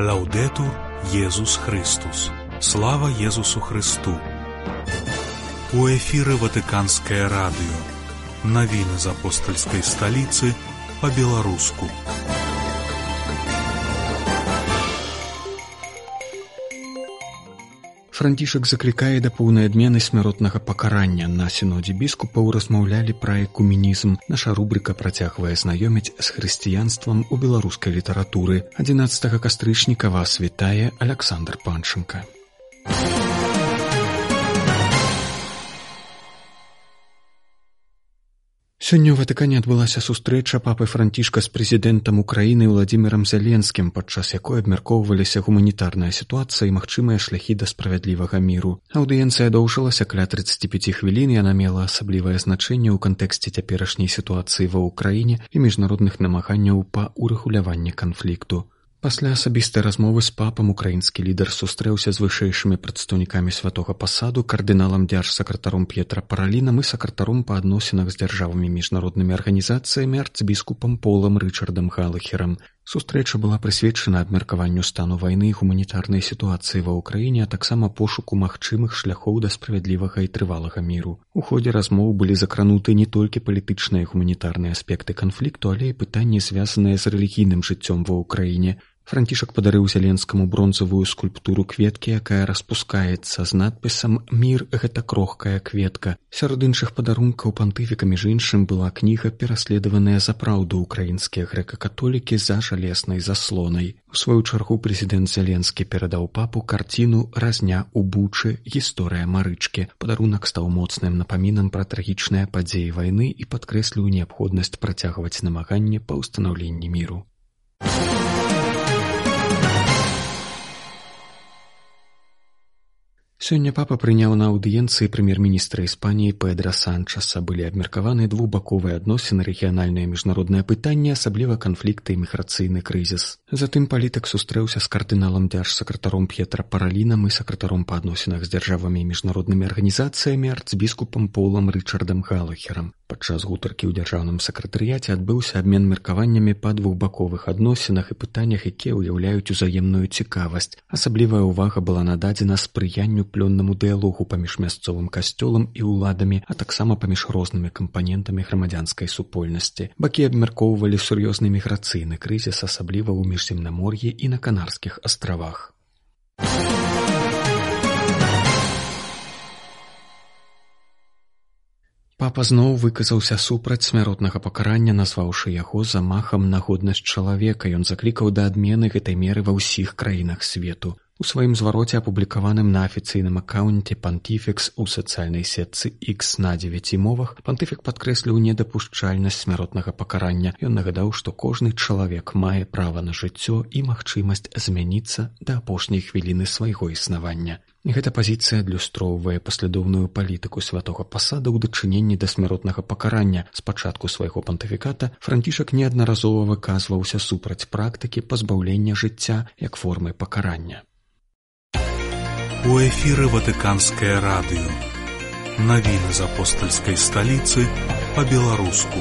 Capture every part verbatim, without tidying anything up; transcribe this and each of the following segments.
Лаўдэтур Езус Христус. Слава Езусу Христу. У эфіры Ватыканскае радыё. Навіны з апостальскай сталіцы па-беларуску. Францішак заклікае да поўнай адмены смяротнага пакарання. На сінодзе біскупаў размаўлялі пра экуменізм. Наша рубрыка працягвае знаёміць з хрысціянствам у беларускай літаратуры. адзінаццатага кастрычніка вас вітае Аляксандр Панченка. Сёння ў Ватыкане адбылася сустрэча папы Францішка з прэзідэнтам Украіны Владзімірам Зеленскім, падчас якой абмяркоўваліся гуманітарная сітуацыя і магчымыя шляхі да справядлівага міру. Аўдыенцыя доўжылася каля трыццаць пяць хвілін, яна мела асаблівае значэнне ў кантэксце цяперашняй сітуацыі ва ўкраіне і міжнародных намаганняў па ўрэгуляванні канфлікту. Пасля асабістай размовы з папам украінскі лідар сустрэўся з вышэйшымі прадстаўнікамі святога пасаду, кардыналам дзяржсакратаром П'етра Паралінам і сакратаром па адносінах з дзяржавамі і міжнароднымі арганізацыямі арцбіскупам Полам Рычардам Галахерам. Сустрэча была прысвечана абмеркаванню стану вайны і гуманітарнай сітуацыі ва ўкраіне, а таксама пошуку магчымых шляхоў да справядлівага і трывалага міру. У ходзе размоў былі закрануты не толькі палітычныя і гуманітарныя аспекты канфлікту, але і пытанні, звязаныя з рэлігійным жыццём ва ўкраіне. Францішак падарыў Зеленскаму бронзавую скульптуру кветкі, якая распускаецца з надпісам «Мір – гэта крохкая кветка». Сярод іншых падарункаў пантыфіка, між іншым, была кніга «Пераследаваныя за праўду украінскія грэка-католікі за жалезнай заслонай». У сваю чаргу прэзідэнт Зеленскі перадаў папу карціну «Разня ў Бучы. Гісторыя Марычкі». Падарунак стаў моцным напамінам пра трагічныя падзеі вайны і падкрэсліў неабходнасць працягваць намаганне па ўстанаўленні міру. Сёння папа прыняў на аўдыенцыі прэм'ер-міністра Іспаніі Педра Санчаса. Былі абмеркаваны двухбаковыя адносіны, рэгіянальныя і міжнародныя пытанні, асабліва канфлікты і міграцыйны крызіс. Затым палітык сустрэўся з кардыналам дзяржсакратаром П'етра Паралінам і сакратаром па адносінах з дзяржавамі і міжнароднымі арганізацыямі арцбіскупам Полам Рычардам Галахерам. Падчас гутаркі ў дзяржаўным сакратарыяце адбыўся абмен меркаваннямі па двухбаковых адносінах і пытаннях, якія ўяўляюць узаемную цікавасць. Асаблівая ўвага была нададзена спрыянню плённаму дыялогу паміж мясцовым касцёлам і ўладамі, а таксама паміж рознымі кампанентамі грамадзянскай супольнасці. Бакі абмяркоўвалі сур'ёзны міграцыйны крызіс, асабліва ў міжземнамор'і і на Канарскіх астравах. Папа зноў выказаўся супраць смяротнага пакарання, назваўшы яго замахам на годнасць чалавека. Ён заклікаў да адмены гэтай меры ва ўсіх краінах свету. У сваім звароце, апублікаваным на афіцыйным акаунце Пантыфікс у сацыяльнай сетцы X на дзевяці мовах, пантыфік падкрэсліў недапушчальнасць смяротнага пакарання. Ён нагадаў, што кожны чалавек мае права на жыццё і магчымасць змяніцца да апошняй хвіліны свайго існавання. Гэта пазіцыя адлюстроўвае паслядоўную палітыку святога пасада ў дачыненні да смяротнага пакарання. З пачатку свайго пантыфіката Францішак неаднаразова выказваўся супраць практыкі пазбаўлення жыцця як формы пакарання. У эфіры Ватыканскае радыё. Навіны з апостальскай сталіцы па-беларуску.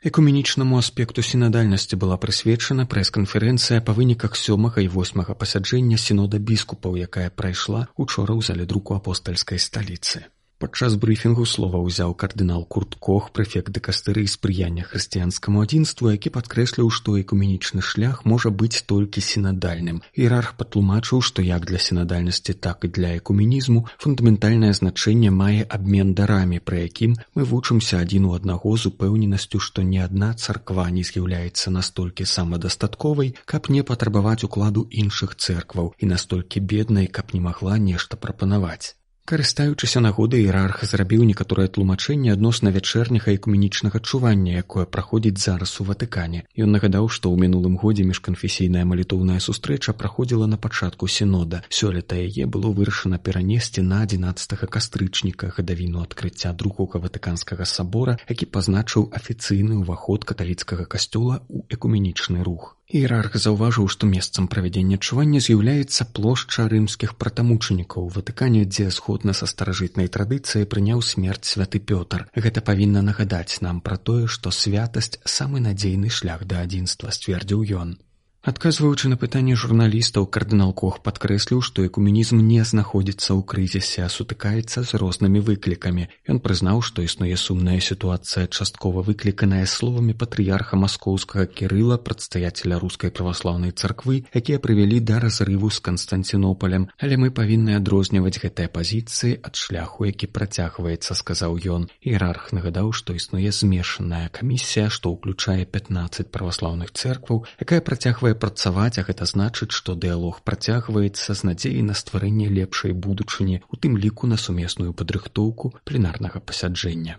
Экуменічнаму аспекту сінадальнасці была прысвечана прэс-канферэнцыя па выніках сёмага і восьмага пасяджэння сінода біскупаў, якая прайшла учора ў зале друку апостальскай сталіцы. Падчас брыфінгу слова ўзяў кардынал Курт Кох, прэфект дыкастэрыі спрыяння хрысціянскаму адзінству, які падкрэсліў, што экуменічны шлях можа быць толькі сінадальным. Іерарх патлумачыў, што як для сінадальнасці, так і для экуменізму фундаментальнае значэнне мае абмен дарамі, пры якім мы вучымся адзін у аднаго з упэўненасцю, што ні адна царква не з'яўляецца настолькі самадастатковай, каб не патрабаваць укладу іншых цэркваў, і настолькі беднай, каб не магла нешта прапанаваць. Карыстаючыся нагодай, іерарх зрабіў некаторае тлумачэнне адносна вячэрняга экуменічнага чування, якое праходзіць зараз у Ватыкане. Ён нагадаў, што ў мінулым годзе міжканфесійная малітоўная сустрэча праходзіла на пачатку сінода. Сёлета яе было вырашана перанесці на адзінаццатага кастрычніка, гадавіну адкрыцця другога ватыканскага сабора, які пазначыў афіцыйны ўваход каталіцкага касцёла ў экуменічны рух. Іерарх заўважыў, што месцам правядзення чування з'яўляецца плошча рымскіх пратамучанікаў у Ватыкане, дзе згодна са старажытнай традыцыяй прыняў смерць святы Пётр. Гэта павінна нагадаць нам пра тое, што святасць – самы надзейны шлях да адзінства, сцвердзіў ён. Адказваючы на пытанне журналістаў, кардынал Кох падкрэсліў, што экуменізм не знаходзіцца ў крызісе, а сутыкаецца з рознымі выклікамі. Ён прызнаў, што існуе сумная сітуацыя, часткова выкліканая словамі патрыярха маскоўскага Кірыла, прадстаяцеля рускай праваслаўнай царквы, якія прывялі да разрыву з Канстанцінопалем. Але мы павінны адрозніваць гэтыя пазіцыі ад шляху, які працягваецца, сказаў ён. Іерарх нагадаў, што існуе змешаная камісія, што ўключае пятнаццаць праваслаўных цэркваў, якая працягвае працаваць, а гэта значыць, што дыялог працягваецца з надзеяй на стварэнне лепшай будучыні, у тым ліку на сумесную падрыхтоўку пленарнага пасяджэння.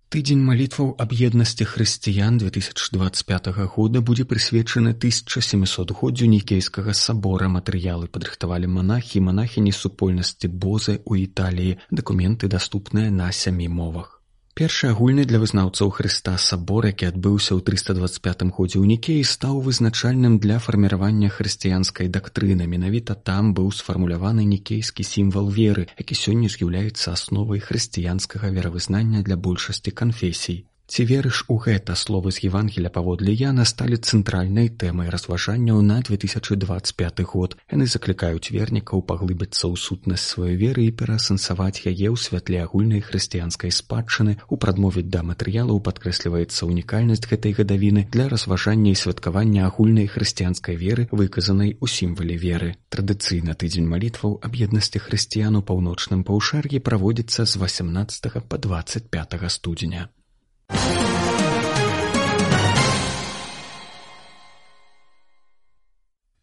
Тыдзень малітваў аб еднасці хрысціян две тысячы дваццаць пятага года будзе прысвечаны тысяча сямісотгоддзю Нікейскага сабора. Матэрыялы падрыхтавалі манахі і манахіні супольнасці Бозы ў Італіі. Дакументы даступныя на сямі мовах. Першы агульны для вызнаўцаў Хрыста сабор, які адбыўся ў трыста дваццаць пятым годзе ў Нікеі, стаў вызначальным для фарміравання хрысціянскай дактрыны. Менавіта там быў сфармуляваны нікейскі сімвал веры, які сёння з'яўляецца асновай хрысціянскага веравызнання для большасці канфесій. Ці верыш у гэта? Словы з Евангелія паводле Яна сталі цэнтральнай тэмай разважанняў на две тысячы дваццаць пяты год. Яны заклікаюць вернікаў паглыбіцца ў сутнасць сваёй веры і пераасэнсаваць яе ў святле агульнай хрысціянскай спадчыны. У прадмове да матэрыялаў падкрэсліваецца унікальнасць гэтай гадавіны для разважання і святкавання агульнай хрысціянскай веры, выказанай у сімвале веры. Традыцыйна тыдзень малітваў аб еднасці хрысціян у паўночным паўшар'і праводзіцца з васямнаццатага па дваццаць пятага студзеня.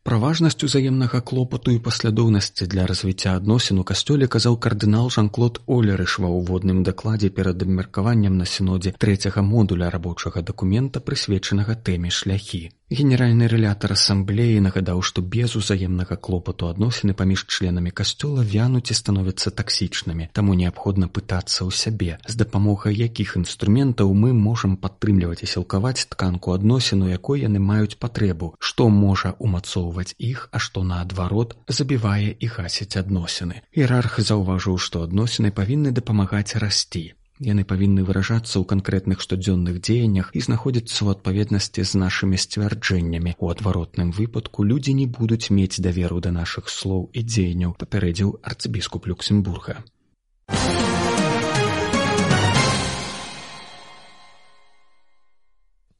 Пра важнасць узаемнага клопату і паслядоўнасці для развіцця адносін у касцёле казаў кардынал Жан-Клод Олерыш ва ўводным дакладзе перад абмеркаваннем на сінодзе трэцяга модуля рабочага дакумента, прысвечанага тэме шляхі. Генеральны рэлятар асамблеі нагадаў, што без узаемнага клопату адносіны паміж членамі касцёла вянуць і становяцца таксічнымі. Таму неабходна пытацца ў сябе, з дапамогай якіх інструментаў мы можам падтрымліваць і сілкаваць тканку адносін, у якой яны маюць патрэбу, што можа умацоўваць іх, а што наадварот забівае і гасіць адносіны. Іерарх заўважыў, што адносіны павінны дапамагаць расці. Яны павінны выражацца ў канкрэтных штодзённых дзеяннях і знаходзіцца ў адпаведнасці з нашымі сцвярджэннямі. У адваротным выпадку людзі не будуць мець даверу да нашых слоў і дзеянняў, папярэдзіў арцыбіскуп Люксембурга.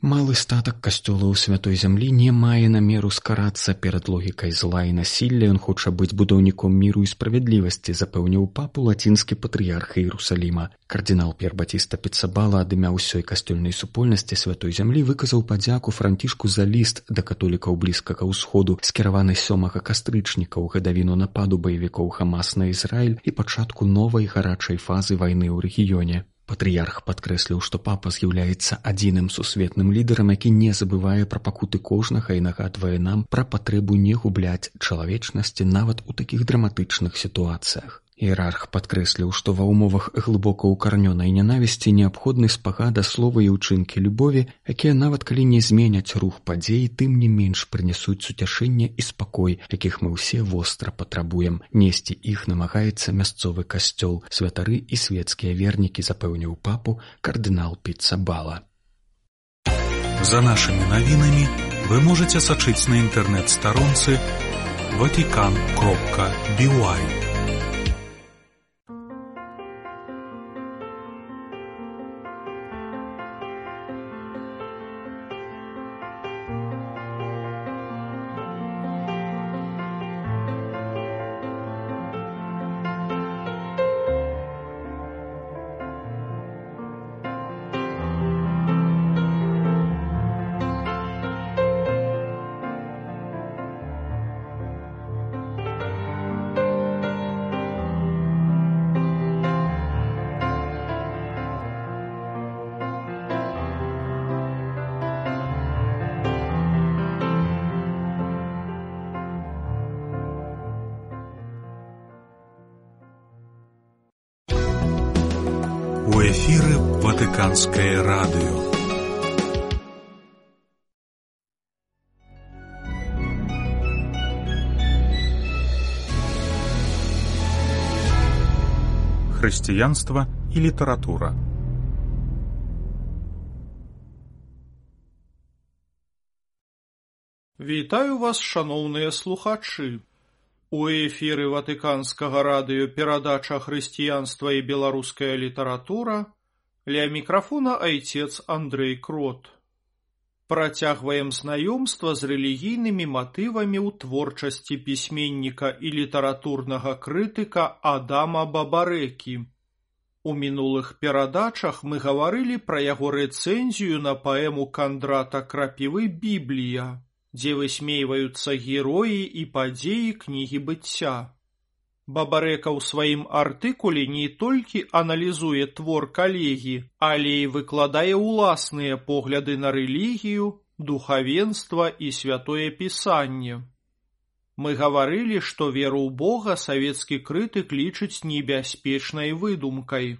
Малы статак касцёла ў святой зямлі не мае намеру скарацца перад логікай зла і насілля. Ён хоча быць будаўніком міру і справядлівасці, запэўніў папу лацінскі патрыярх Іерусаліма. Кардынал П'ер Батіста Піцабала ад імя ўсёй касцёльнай супольнасці святой зямлі выказаў падзяку Францішку за ліст да католікаў Блізкага ўсходу, скіраваны сёмага кастрычніка ў гадавіну нападу баевікоў Хамас на Ізраіль і пачатку новай гарачай фазы вайны ў рэгіёне. Патрыярх падкрэсліў, што папа з'яўляецца адзіным сусветным лідарам, які не забывае пра пакуты кожнага і нагадвае нам пра патрэбу не губляць чалавечнасці нават у такіх драматычных сітуацыях. Іерарх падкрэсліў, што ва ўмовах глыбока ўкаранёнай нянавісці неабходны спагада слова і ўчынкі любові, якія нават калі не зменяць рух падзей, тым не менш прынясуць суцяшэнне і спакой, якіх мы ўсе востра патрабуем. Несці іх намагаецца мясцовы касцёл. Святары і свецкія вернікі, запэўніў папу кардынал Піцабала. За нашымі навінамі вы можаце сачыць на інтэрнэт-старонцы ватикан кропка би уай. У эфіры Ватыканскае радыё. Хрысціянства і літаратура. Вітаю вас, шаноўныя слухачы. У эфіры Ватыканскага радыё перадача «Хрысціянства і беларуская літаратура». Ля мікрафона айцец Андрэй Крот. Працягваем знаёмства з рэлігійнымі матывамі ў творчасці пісьменніка і літаратурнага крытыка Адама Бабарэкі. У мінулых перадачах мы гаварылі пра яго рэцэнзію на паэму Кандрата Крапівы «Біблія», дзе высмейваюцца героі і падзеі кнігі быцця. Бабарэка ў сваім артыкуле не толькі аналізуе твор калегі, але і выкладае ўласныя погляды на рэлігію, духавенства і святое пісанне. Мы гаварылі, што веру ў Бога савецкі крытык лічыць небяспечнай выдумкай.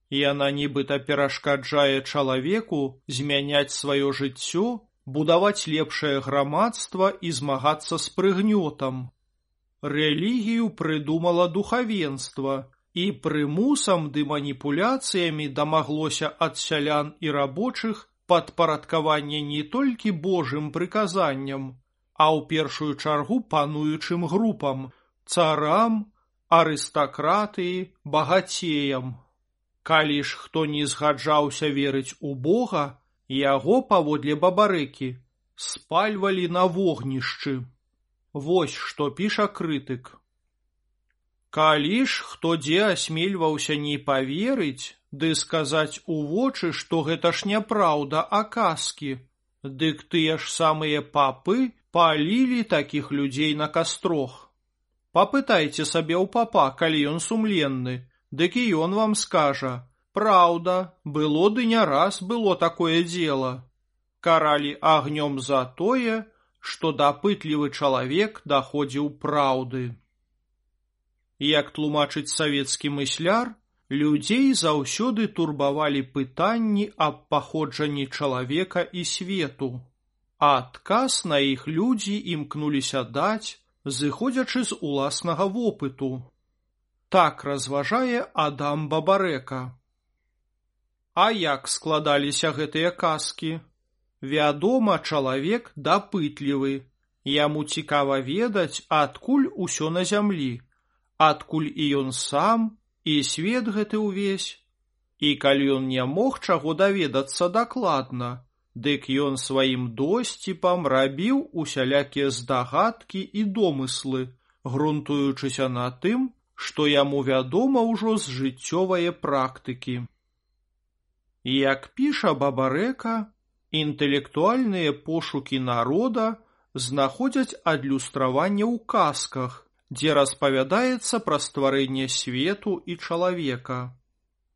Яна нібыта перашкаджае чалавеку змяняць сваё жыццё, будаваць лепшае грамадства і змагацца з прыгнётам. Рэлігію прыдумала духавенства, і прымусам ды маніпуляцыямі дамаглося ад сялян і рабочых падпарадкавання не толькі Божым прыказанням, а ў першую чаргу пануючым групам, царам, арыстакратыі, багацеям. Калі ж хто не згаджаўся верыць у Бога, яго, паводле Бабарэкі, спальвалі на вогнішчы. Вось што піша крытык. Калі ж хто дзе асмельваўся не паверыць, ды сказаць у вочы, што гэта ж няпраўда, а казкі, дык тыя ж самыя папы палілі такіх людзей на кастрох. Папытайце сабе ў папа, калі ён сумленны, дык і ён вам скажа: «Праўда, было ды не раз было такое дзела». Каралі агнём за тое, што дапытлівы чалавек даходзіў праўды. Як тлумачыць савецкі мысляр, людзей заўсёды турбавалі пытанні аб паходжанні чалавека і свету, а адказ на іх людзі імкнуліся даць, зыходзячы з уласнага вопыту. Так разважае Адам Бабарэка. А як складаліся гэтыя казкі? Вядома, чалавек дапытлівы. Яму цікава ведаць, адкуль усё на зямлі, адкуль і ён сам, і свет гэты ўвесь. І калі ён не мог чаго даведацца дакладна, дык ён сваім досціпам рабіў усялякія здагадкі і домыслы, грунтуючыся на тым, што яму вядома ўжо з жыццёвае практыкі. Як піша Бабарэка, інтэлектуальныя пошукі народа знаходзяць адлюстраванне ў казках, дзе распавядаецца пра стварэнне свету і чалавека.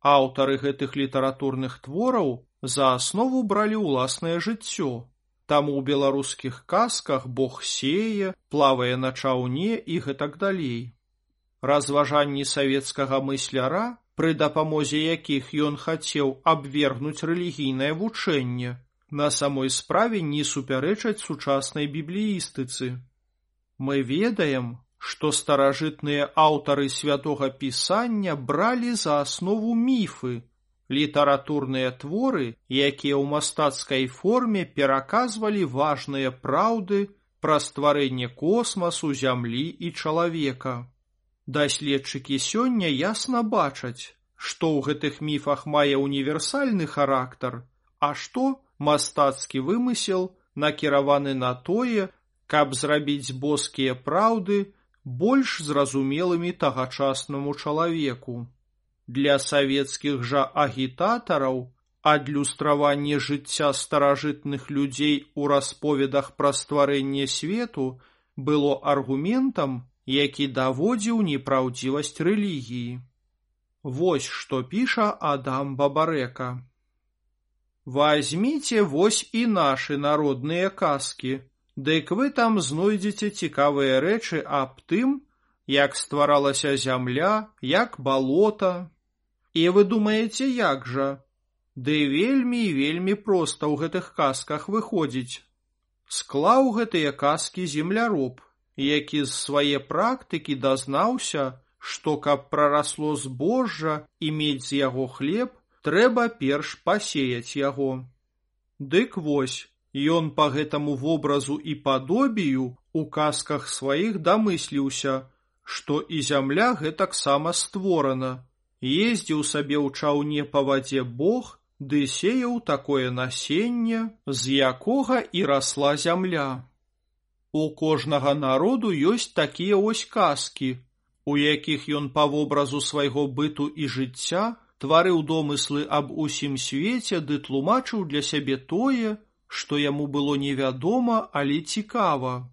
Аўтары гэтых літаратурных твораў за аснову бралі ўласнае жыццё. Таму ў беларускіх казках Бог сее, плавае на чаўне і гэтак далей. Разважанні савецкага мысляра, пры дапамозе якіх ён хацеў абвергнуць рэлігійнае вучэнне, на самой справе не супярэчаць сучаснай бібліістыцы. Мы ведаем, што старажытныя аўтары святога пісання бралі за аснову міфы, літаратурныя творы, якія ў мастацкай форме пераказвалі важныя праўды пра стварэнне космасу, зямлі і чалавека. Даследчыкі сёння ясна бачаць, што ў гэтых міфах мае універсальны характар, а што мастацкі вымысел накіраваны на тое, каб зрабіць боскія праўды больш зразумелымі тагачаснаму чалавеку. Для савецкіх жа агітатараў адлюстраванне жыцця старажытных людзей у расповедах пра стварэнне свету было аргументам, які даводзіў непраўдзівасць рэлігіі. Вось што піша Адам Бабарэка. Вазьміце вось і нашы народныя казкі, дык вы там знойдзеце цікавыя рэчы аб тым, як стваралася зямля, як балота. І вы думаеце, як жа? Ды вельмі і вельмі проста ў гэтых казках выходзіць. Склаў гэтыя казкі земляроб, які з свае практыкі дазнаўся, што каб прарасло збожжа і мець з яго хлеб, трэба перш пасеяць яго. Дык вось, Ён па гэтаму вобразу і падобію у казках сваіх дамысліўся, што і зямля гэтаксама створана. Ездзіў сабе ў чаўне па вадзе Бог, ды сеяў такое насенне, з якога і расла зямля. У кожнага народу ёсць такія ось казкі, у якіх ён па вобразу свайго быту і жыцця тварыў домыслы аб усім свеце ды тлумачыў для сябе тое, што яму было невядома, але цікава.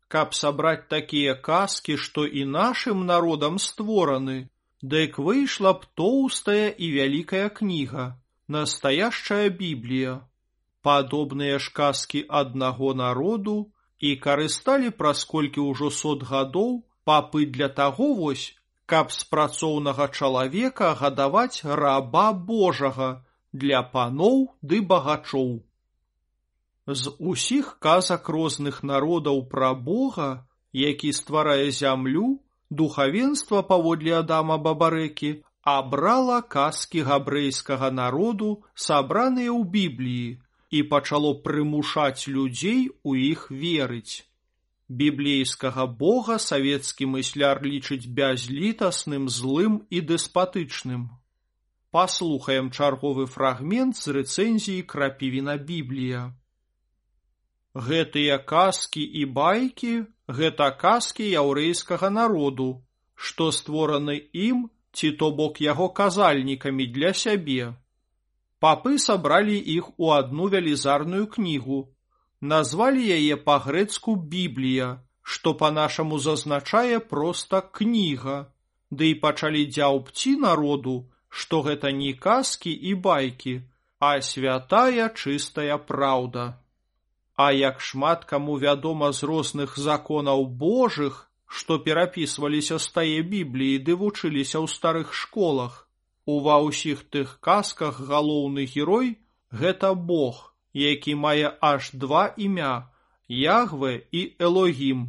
Каб сабраць такія казкі, што і нашым народам створаны, дык выйшла б тоўстая і вялікая кніга, настоящая Біблія. Падобныя ж казкі аднаго народу і карысталі праз колькі ўжо сот гадоў папы для таго вось, каб з працоўнага чалавека гадаваць раба Божага для паноў ды багачоў. З усіх казак розных народаў пра Бога, які стварае зямлю, духавенства паводле Адама Бабарэкі абрала казкі габрэйскага народу, сабраныя ў Бібліі, і пачало прымушаць людзей у іх верыць. Біблейскага Бога савецкі мысляр лічыць бязлітасным, злым і дэспатычным. Паслухаем чарговы фрагмент з рэцэнзіі Крапівіна Біблія. Гэтыя казкі і байкі – гэта казкі яўрэйскага народу, што створаны ім, ці то бок яго казальнікамі для сябе. Папы сабралі іх у адну велізарную кнігу, назвалі яе па-грэцку Біблія, што па-нашаму зазначае проста кніга, ды і пачалі дзяўбці народу, што гэта не казкі і байкі, а святая чыстая праўда. А як шмат каму вядома з розных законаў Божых, што перапісваліся з тае Бібліі ды вучыліся ў старых школах, ува ўсіх тых казках галоўны герой – гэта Бог, які мае аж два імя – Ягве і Элогім.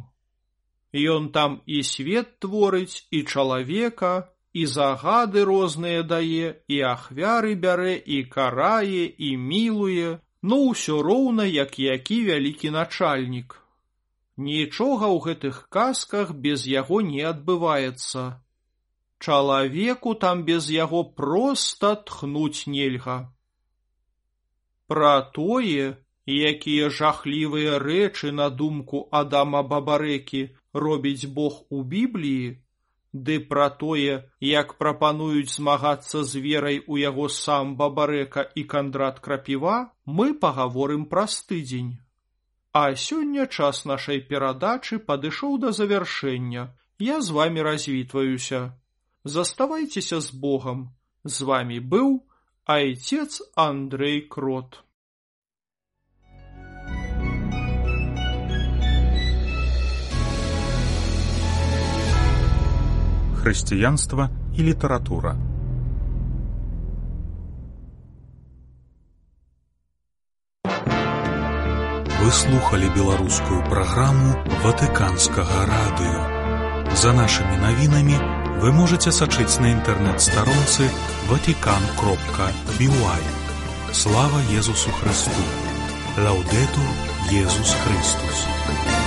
Ён там і свет творыць, і чалавека, і загады розныя дае, і ахвяры бярэ, і карае, і мілуе, ну ўсё роўна, як які вялікі начальнік. Нічога ў гэтых казках без яго не адбываецца. Чалавеку там без яго проста тхнуць нельга. Пра тое, якія жахлівыя рэчы на думку Адама Бабарэкі робіць Бог у Бібліі, ды пра тое, як прапануюць змагацца з верай у яго сам Бабарэка і Кандрат Крапіва, мы пагаворым праз тыдзень. А сёння час нашай перадачы падышоў да завяршэння. Я з вамі развітваюся. Заставайцеся з Богам. З вамі быў айцец Андрэй Крот. Хрысціянства і літаратура. Вы слухали беларускую праграму Ватыканскага радыё. За нашымі навінамі вы можаце сачыць на інтэрнэт-старонцы ватикан кропка би уай. Слава Езусу Христу! Лаўдэтур Езус Христус!